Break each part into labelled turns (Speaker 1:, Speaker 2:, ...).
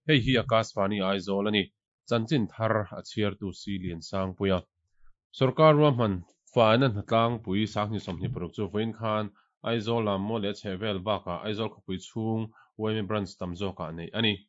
Speaker 1: Hei hi Akashvani Aizawl a ni. Chanchin thar a chhiartu Si Liansangpuia. Sorkar ruahman faina hnatlangpui 2026 chu vawiin khan Aizawl lam maw leh chhehvel bakah Aizawl khawpui chhung yma branch tam zawkah neih a ni.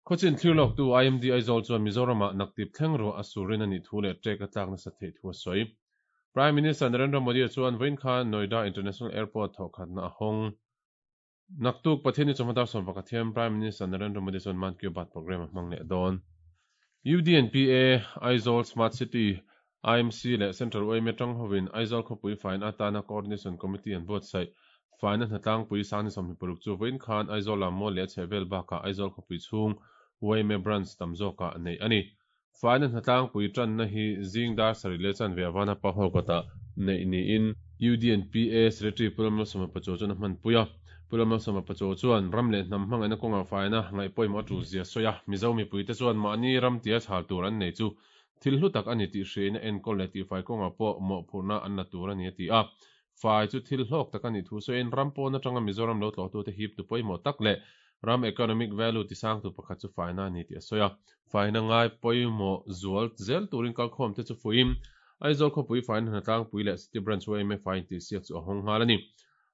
Speaker 1: Khawchin thlir lawktu IMD Aizawl chuan Mizoramah naktip thleng ruah a surin a nih thu leh ṭek a tlak nasat theih thu a sawi. Prime Minister Narendra Modi chuan vawiin khan Noida International Airport thawhkhatna a hawng. Naktuk Pathianni chawhma dar 11 hian Prime Minister Narendra Modi chuan Mann Ki Baat programme a hmang leh dawn. UDNPA, Aizawl Smart City, IMC leh Central yma tang hovin Aizawl khawpui faina atana Coordination Committee an buatsaih. Faina hnatlangpui 2026 chu vawiin khan Aizawl lam maw leh a chhehvel bakah Aizawl khawpui chhung yma branch tam zawkah neih a ni. Faina hnatlangpui tanna hi zing dar 7 leh chanve avana pa hall kawtah neih niin UDNPA Secretary Pu Lalmalsawma Pachuau chuan a hmanpui a. Pu Lalmalsawma Pachuau chuan ram leh hnam hmangaihna kawngah faina ngaihpawimawh a tul zia sawi a. Mizo mipuite chuan mahni ram tia chhal tur an nei chu thil hlu tak a ni tih hriain a enkawl leh tihfai kawngah pawh mawhphurhna an la tur a ni a ti a. Fai chu thil hlawk tak a nih thu sawiin ram pawn atanga Mizoram lo tlawhtute hip tu pawimawh tak leh ram economic value tisangtu pakhat chu faina a ni tih a sawi a. Faina ngai pawimawh zual zel turin kalkhawmte chu fuiin Aizawl khawpui faina hnatlangpui leh City Branch yma fai intihsiak chu a hawng nghal a ni.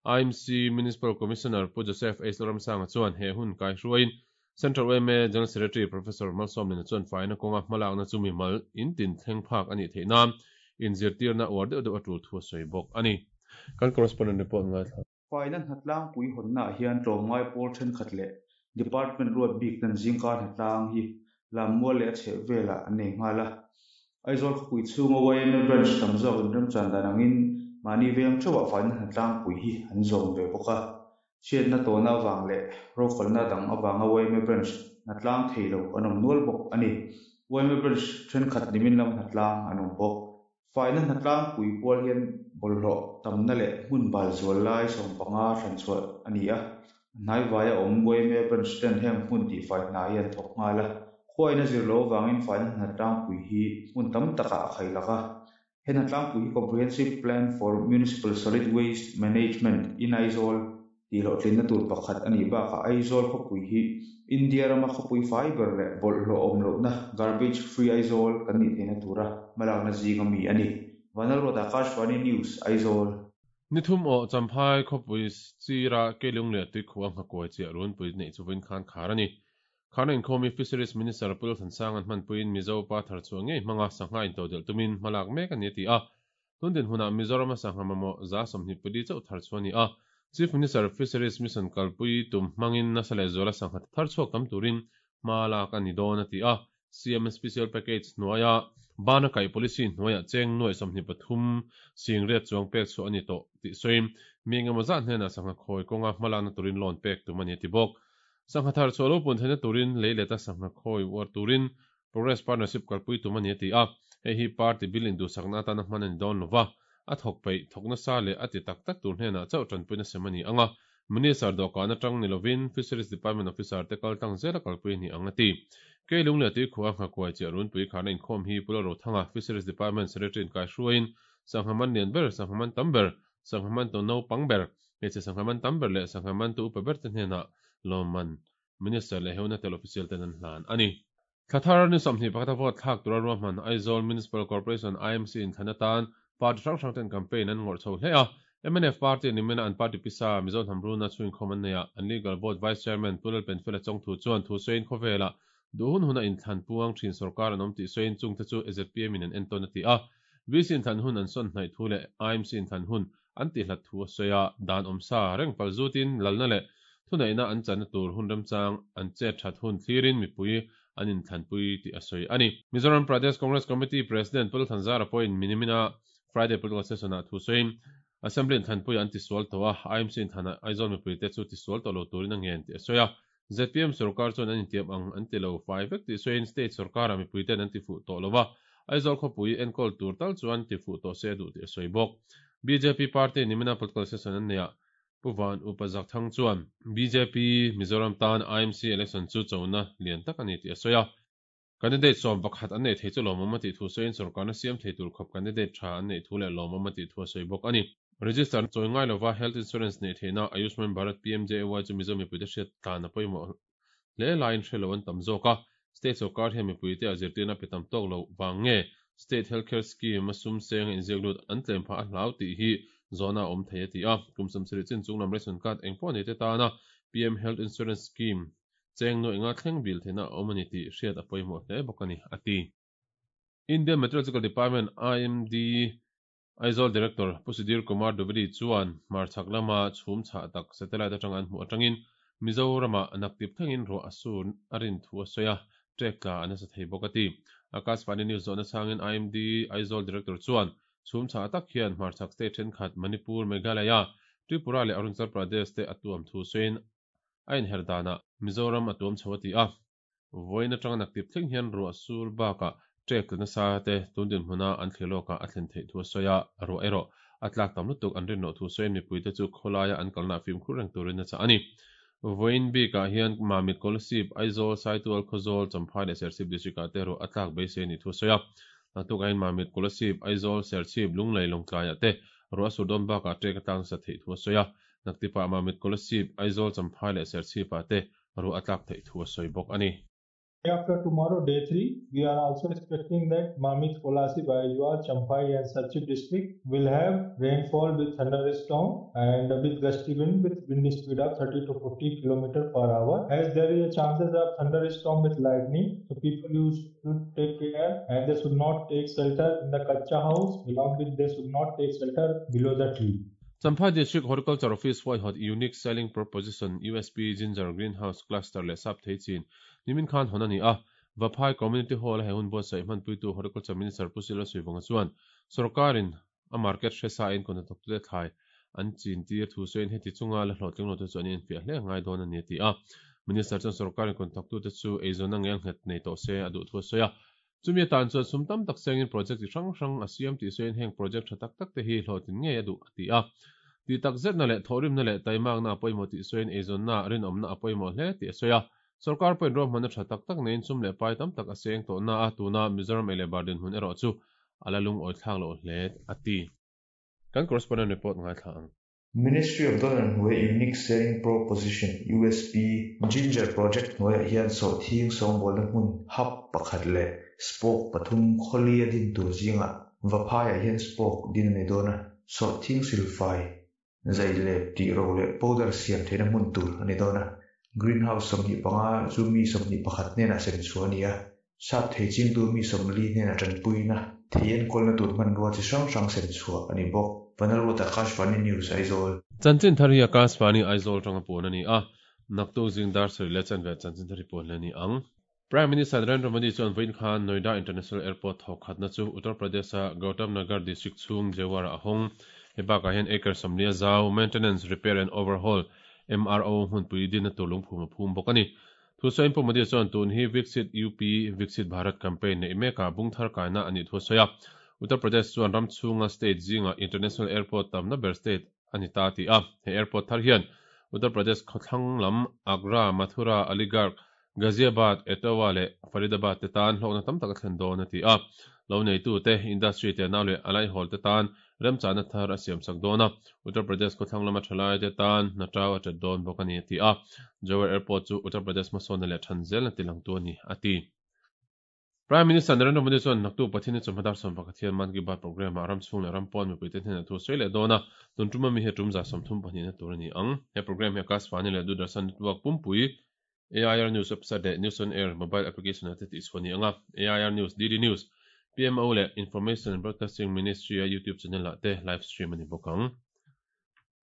Speaker 1: IMC Municipal Commissioner Pu Joseph H Lalramsanga chuan he hun kaihruaiin Central yma General Secretary Professor Malsawmlina chuan faina kawnga hmalakna chu mimal in tin thleng phak a nih theih nan inzirtirna uar deuh deuh a tul thu a sawi bawk a ni. Kan correspondent report ngaithla.
Speaker 2: Faina hnatlangpui hawnnaah hian tlawmngai pawl thenkhat leh department ruat bik ten zingkar hnatlang hi lammual leh a chheh velah an nei nghal a. Aizawl khawpui chhunga yma branch tam zawk inremchan dan angin mahni veng theuhah faina hnatlangpui hi an zawm ve bawk a. Chhiatna tawhna avang leh rofalna dang avanga yma branch hnatlang thei lo an awm nual bawk a ni. Yma branch thenkhat nimin lama hnatlang an awm bawk. Faina hnatlangpui pual hian bawlhhlawh tamna leh hmun bal zual lai 15 thlan chhuah a ni a. Hnaivaia awm yma branch ten heng hmun tihfai hna hi an thawk nghal a. Khuaina zir lo avangin faina hnatlangpui hi hmun tam takah a khailak a. He hnatlangpui hi Comprehensive Plan for Municipal Solid Waste Management in Aizawl tih hlawhtlinna tur pakhat a nih bakah Aizawl khawpui hi India rama khawpui fai ber leh bawlhhlawh awm lohna Garbage Free Aizawl kan nih theihna tura hmalakna zinga mi a ni. Vanlalruat Akashvani News, Aizawl.
Speaker 1: Nithum aw Champhai khawpui sira Keilung leh Tuikhuah nghakuai chiah runpui neih chu vawiin khan khar a ni. Kharna inkhawm hi Fisheries Minister Pu Lalthansang an hmanpuiin Mizo pa thar chhuah ngei hmanga sangha intodelh tumin hmalak mek a ni a ti a. Tun dinhmunah Mizorama sangha mamawh 24 chauh thar chhuah a ni a. Chief Minister Fisheries Mission kalpui tum hmangin nasa leh zuala sangha thar chhuak tam turin hma lak a ni dawn a ti a. CM Special Package hnuaia bana kaih policy hnuaiah cheng nuaih 23 singriat chuang pek chhuah a ni tawh tih sawiin mi engemaw zat hnenah sangha khawi kawnga hmalakna turin loan pek tum a ni a ti bawk. Sangha thar chhuah lo pun theihna turin lei leta sangha khawi uar turin Progress Partnership kalpui tum a ni a ti a. Hei hi party bill induhsakna atana hman a ni dawn lova, a thawk peih, thawk nasa leh a ti tak tak tur hnenah chauh tanpuina sem a ni ang a. Minister dawhkan atang ni lovin Fisheries Department officer te kal tlang zela kalpui a ni ang a ti. Keilung leh Tuikhua nghakuai chiah runpui kharna inkhawm hi Pu Lalrothanga, Fisheries Department Secretary in kaihruaiin sangha man lian ber, sangha man tam ber, sangha man tu naupang ber, hmeichhe sangha man tam ber leh sangha man tu upa ber te hnenah lawmman Minister leh Heuna tel official ten an hlan a ni. Thla thar ni 21 a vote thlak tura ruahman Aizawl Municipal Corporation, IMC, inthlan atan party hrang hrang ten campaign an ngawrh chho hle a. Mnf party nimina an party pisa Mizo hnam runa chhuinkhawm an nei a, an legal board Vice Chairman Pu Lalpenfela Chawngthu chuan thu sawiin khawvelah duh hun huna inthlan puang thin sorkar an awm tih sawiin chungte chu ZPM in an entawn a ti a. VC inthlan hun an sawn hnaih thu leh IMC inthlan hun an ti hlat thu a sawi a, dan awmsa reng pal zutin lalna leh thuneihna an channa tur hun remchang an chet that hun thlirin mipui an inthlanpui tih a sawi a ni. Mizoram Pradesh Congress Committee President Pu Lalthanzara pawhin minimina Friday Political Session-ah thu sawiin Assembly inthlanpuiah an tisual tawh a, IMC inthlanah Aizawl mipuite chu tisual tawh lo turin a ngen tih a sawi a. ZPM sorkar chuan an intiam ang an ti lo fai vek tih sawiin state sorkarah mipuite'n an tifuh tawh lo a, Aizawl khawpui enkawl tur tal chuan tifuh tawh se a duh tih a sawi bawk. Bjp party nimina political session an neih ah Pu Van Upa Zakthang chuan bjp Mizoram tan IMC election chu chona lian tak a ni tih a sawi a. Candidate 11 an neih thei chu lawmawm a tih thu sawiin sorkarna siam thei tur khawp candidate tha an neih thu leh lawmawm a tih thu a sawi bawk a ni. Register chawi ngai lova health insurance neih theihna Ayushman Bharat PMJAY chu Mizo mipuite hriat tlan a pawimawh. hle laiin hre lo an tam zawk a, state sawrkar hian mipuite a zirtirna pe tam tawk lo vang nge State Health Care Scheme a sum seng a inziak lut an tlem phah a hlau tih hi zawhna a awm thei a ti a. Kum 70 chin chung lam ration card eng pawh nei te tana PM Health Insurance Scheme cheng nuaih nga thleng bil theihna a awm a ni tih hriat a pawimawh hle bawk a ni, a ti. Indian Meteorological Department, IMD, Aizawl Director Pu Sudhir Kumar Dubedi chuan hmarchhak lama chhum chhah tak satellite atanga an hmuh atangin Mizoramah naktip thlengin ruah a sur a rin thu a sawi a, trek tla a nasa thei bawk a ti. Akashvani News zawhna chhangin IMD Aizawl Director chuan chhum chhah tak hian hmarchhak state thenkhat Manipur, Meghalaya, Tripura leh Arunachal Pradesh te a tuam thu sawiin a inher danah Mizoram a tuam chho a ti a. Vawiin atanga naktip thleng hian ruah sur bakah trek tla nasa te tun dinhmuna an thlir lawkah a thlen theih thu a sawi a, ruah erawh a tlak tam lutuk an rin loh thu sawiin mipuite chu khawlaia an kalna fimkhur reng turin a chah a ni. Vawiin bikah hian Mamit, Kolasib, Aizawl, Saitual, Khawzawl, Champhai leh Serchhip District ah te ruah a tlak beisei a nih thu a sawi a. Naktuk ahin Mamit, Kolasib, Aizawl, Serchhip, Lunglei, Lawngtlaiah te ruah a sur dawn bakah trek a tlak nasa theih thu a sawi a. Naktipah Mamit, Kolasib, Aizawl, Champhai leh Serchhip ah te ruah a tlak theih thu a sawi bawk a ni.
Speaker 3: Day after tomorrow, day 3, we are also expecting that Mamit, Kolasib, Aizawl, Champhai and Serchhip district will have rainfall with thunderstorm and with gusty wind with wind speed of 30 to 40 kilometer per hour. As there is a chances of thunderstorm with lightning, so people used to take care and they should not take shelter in the kacha house, along with they should not take shelter below the tree.
Speaker 1: Champhai District Horticulture Office huaihawt Unique Selling Proposition, USP, Ginger Greenhouse Cluster leh Sap thei chin nimin khan hawn a ni a. Vaphai Community Hall a he hun buatsaih hmanpuitu Horticulture Minister Pu Silo Suivunga chuan sawrkarin a market hre sa in kawhnathawktute thlai an chin tir thu sawiin heti chunga la hlawhtling lote chu an infiah hle ngai dawn a ni a ti a. Minister chuan sawrkarin kawhnathawktute chu eizawnna ngelnghet nei tawh se a duh thu a sawi a. Chumi atan chuan sum tam tak sengin project chi hrang hrang a siam tih sawiin heng project tha tak tak te hi hlawhtlin ngei a duh a ti a. Tih tak zetna leh thawhrimna leh taimakna a pawimawh tih sawiin eizawnna, rinawmna a pawimawh hle tih a sawi a. Sorkar pawhin ruahmanna tha tak tak neiin sum leh pai tam tak a seng tawhna a, tuna Mizoram ei leh bar dinhmun erawh chu a la lungawi thlak loh hle a ti. Kan correspondent report ngaithla ang.
Speaker 2: Ministry of Donor hnuaia Unique Selling Proposition, USP, Ginger Project hnuaiah hian sawhthing sawngbawlna hmun hub pakhat leh spoke pathum khawli a din tur zingah Vaphaiah hian spoke din a ni dawn a, sawhthing silfai, zai leh tih ro leh powder siam theihna hmun tur a ni dawn a. Greenhouse 25 chu mi 21 hnenah sem chhuah a ni a, sap thei chingtu mi 40 hnenah tanpuina thei enkawlna tur hmanrua chi hrang hrang sem chhuah a ni bawk. Vanlalruat Akashvani News, Aizawl.
Speaker 1: Chanchin thar hi Akashvani Aizawl atanga puan a ni a, naktuk zing dar sarih leh chanve chanchin thar hi puan leh a ni ang. Prime Minister Narendra Modi chuan vawiin khan Noida International Airport thawk khatna chu Uttar Pradesh-a Gautam Nagar district chhung Jewar-ah a hawng. He bakah hian acre 40 a zau, Maintenance, Repair and Overhaul, MRO, hmunpui dinna tur lungphum a phum bawk a ni. Thusawiin Pu Modi chuan tun hi Viksit UP, Viksit Bharat campaign neih mekah bung thar kaina a nih thu a sawi a. Uttar Pradesh chuan ram chhunga state zingah International Airport tamna ber state a ni ta a ti a. He airport thar hian Uttar Pradesh khawthlang lam Agra, Mathura, Aligarh, Ghaziabad, Etawah leh Faridabad te tan hlawkna tam tak a thlen dawn a ti a. Lo neitute, industry te nau leh a laihawl te tan remchahna thar a siamsak dawn a, Uttar Pradesh khawthlang lama thalai te tan hna tau a tet dawn bawk a ni a ti a. Jawhar Airport chu Uttar Pradesh hmasawnna leh than zelna tilangtu a ni a ti. Prime Minister Narendra Modi chuan naktuk Pathian-i chawhma dar 11 hian Mann Ki Baat programme-ah ram chhung leh ram pawn mipuite hnenah thu a sawi leh dawn a, tun tum ami hi a tum 32 na tur a ni ang. He programme hi Akashvani leh Doordarshan Network pumpui, AIR News website leh News on Air mobile application-ah te tihchhuah a ni ang a, AIR News, DD News, PMO leh Information and Broadcasting Ministry-a YouTube channel-ah te live stream a ni bawk ang.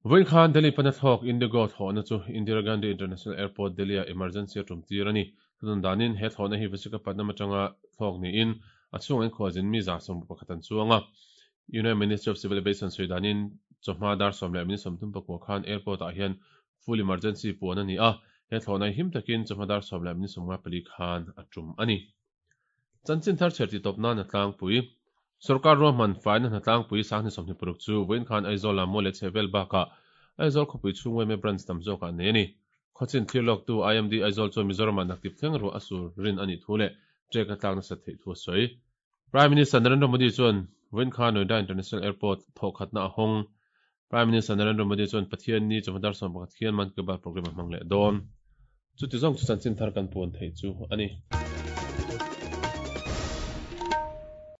Speaker 1: Vawiin khan Delhi pana thlawk IndiGo thlawhna chu Indira Gandhi International Airport, Delhi-ah emergency a tum tir a ni. Thudawn danin he thlawhna hi Visakhapatnam atanga thlawk niin a chhungah inkhualzin mi 11 an chuang a. Union Ministry of Civil Aviation sawi danin chawhma dar 10 leh minute 39 khan airport-ah hian full emergency puan a ni a, he thlawhna hi him takin chawhma dar 10 leh minute 54 khan a tum a ni. Chanchin thar chhiar tih tawp nan a tlangpui. Sorkar ruahman faina hna tlangpui 2026 chu vawiin khan Aizawl ah maw leh chhehvel bakah Aizawl khawpui chhung yma branch tam zawkah nei a ni. Khawchin thlir lawktu IMD Aizawl chuan Mizoramah naktip thleng ruah a sur rin a nih thu leh trek a tlak nasat theih thu a sawi. Prime Minister Narendra Modi chuan vawiin khan Noida International Airport thawhkhatna a hawng. Prime Minister Narendra Modi chuan Pathianni chawhma dar 11 khian Mann Ki Baat programme a hmang leh dawn. Chuti zawng chu chanchin thar kan puan theih chu a ni.